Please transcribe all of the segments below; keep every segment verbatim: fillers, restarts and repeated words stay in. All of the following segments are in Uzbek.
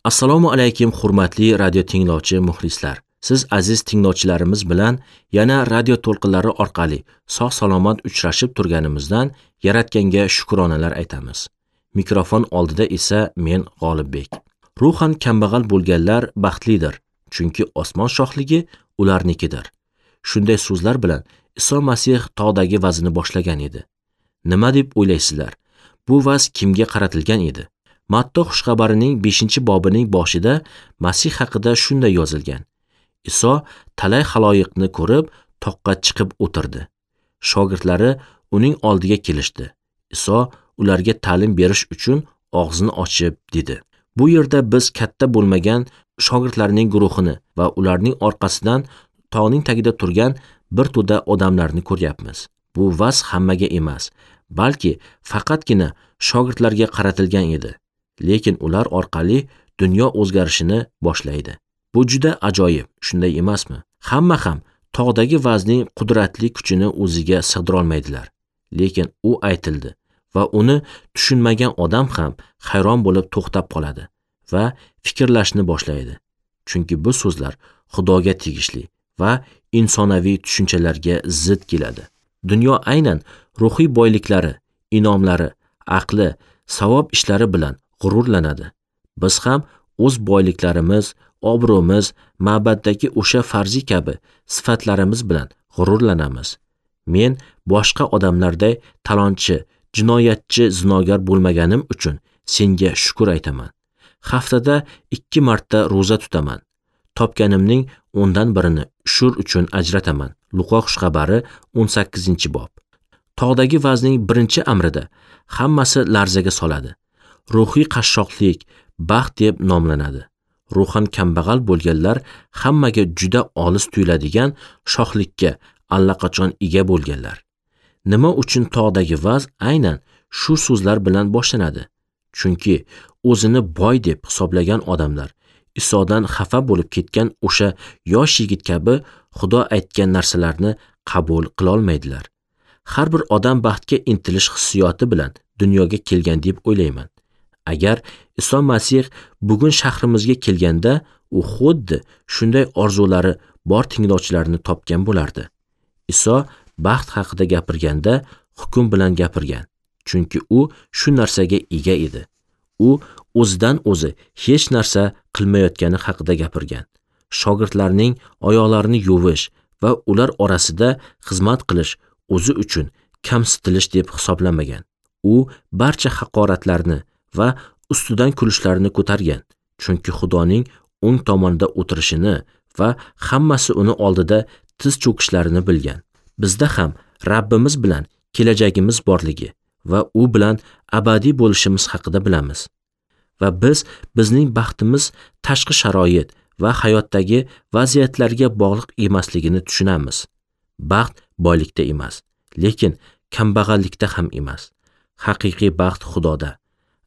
Assalomu alaykum hurmatli radio tinglovchi muxlislar. Siz aziz tinglovchilarimiz bilan yana radio to'lqinlari orqali sog' salomat uchrashib turganimizdan Yaratganga shukronalar aytamiz. Mikrofon oldida esa men G'olibbek. Ruhan kambag'al bo'lganlar baxtlidir, chunki osmon shohligi ularnikidir. Shunday so'zlar bilan Iso Masih tog'dagi vazini boshlagan edi. Nima deb o'ylaysizlar? Bu vaz kimga qaratilgan edi? Matto xushxabarining beshinchi bobining boshida Masih haqida shunday yozilgan. Iso talay xaloyiqni ko'rib, toqqa chiqib o'tirdi. Shogirdlari uning oldiga kelishdi. Iso ularga ta'lim berish uchun og'zini ochib dedi. Bu yerda biz katta bo'lmagan shogirdlarning guruhini va ularning orqasidan tog'ning tagida turgan bir to'da odamlarni ko'ryapmiz. Bu vaz hammaga emas, balki faqatgina shogirdlarga qaratilgan edi. Lekin ular orqali dunyo o'zgarishini boshlaydi. Bu juda ajoyib, shunday emasmi? Hamma ham tog'dagi vazning qudratli kuchini o'ziga sig'dira olmaydilar. Lekin u aytildi va uni tushunmagan odam ham hayron bo'lib to'xtab qoladi va fikrlashni boshlaydi. Chunki bu so'zlar Xudoga tegishli va insonaviy tushunchalarga zid keladi. Dunyo aynan ruhiy boyliklari, inomlari, aqli, savob ishlari bilan g'ururlanadi. Biz ham o'z boyliklarimiz, obro'miz, ma'baddagi o'sha farzi kabi sifatlarimiz bilan g'ururlanamiz. Men boshqa odamlarday talonchi, jinoyatchi, zinogar bo'lmaganim uchun senga shukr aytaman. Haftada ikki marta ro'za tutaman. Topganimning o'ndan birini ushur uchun ajrataman. Luqo xushxabari o'n sakkizinchi bob. Tog'dagi vazning birinchi amrida hammasi larzaga soladi. Ruhiy qashshoqlik baxt deb nomlanadi. Ruhan kambag'al bo'lganlar hammaga juda olis tuyuladigan shohlikka allaqachon ega bo'lganlar. Nima uchun tog'dagi vaz aynan shu so'zlar bilan boshlanadi? Chunki o'zini boy deb hisoblagan odamlar Isodan xafa bo'lib ketgan o'sha yosh yigit kabi Xudo aytgan narsalarni qabul qila olmaydilar. Har bir odam baxtga intilish hissiyoti bilan dunyoga kelgan deb o'ylayman. Agar Iso Masih bugun shahrimizga kelganda, u xuddi shunday orzulari bor tinglovchilarni topgan bo'lardi. Iso baxt haqida gapirganda hukm bilan gapirgan, chunki u shu narsaga ega edi. U o'zidan o'zi hech narsa qilmayotgani haqida gapirgan. Shogirdlarning oyoqlarini yuvish va ular orasida xizmat qilish o'zi uchun kamsitilish deb hisoblamagan. U barcha haqoratlarni va ustidan kulishlarni ko'targan, chunki Xudoning o'ng tomonida o'tirishini va hammasi uni oldida tiz cho'kishlarini bilgan. Bizda ham Rabbimiz bilan kelajagimiz borligi va u bilan abadiy bo'lishimiz haqida bilamiz. Va biz bizning baxtimiz tashqi sharoit va hayotdagi vaziyatlarga bog'liq emasligini tushunamiz. Baxt boylikda emas, lekin kambag'allikda ham emas. Haqiqiy baxt Xudoda.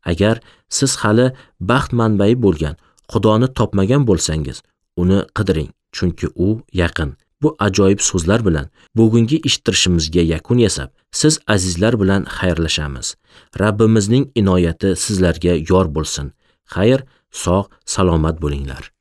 Agar siz hali baxt manbai bo'lgan Xudoni topmagan bo'lsangiz, uni qidiring, chunki u yaqin. Bu ajoyib so'zlar bilan bugungi eshittirishimizga yakun yasab, siz azizlar bilan xayrlashamiz. Rabbimizning inoyati sizlarga yor bo'lsin. Xayr, sog', salomat bo'linglar.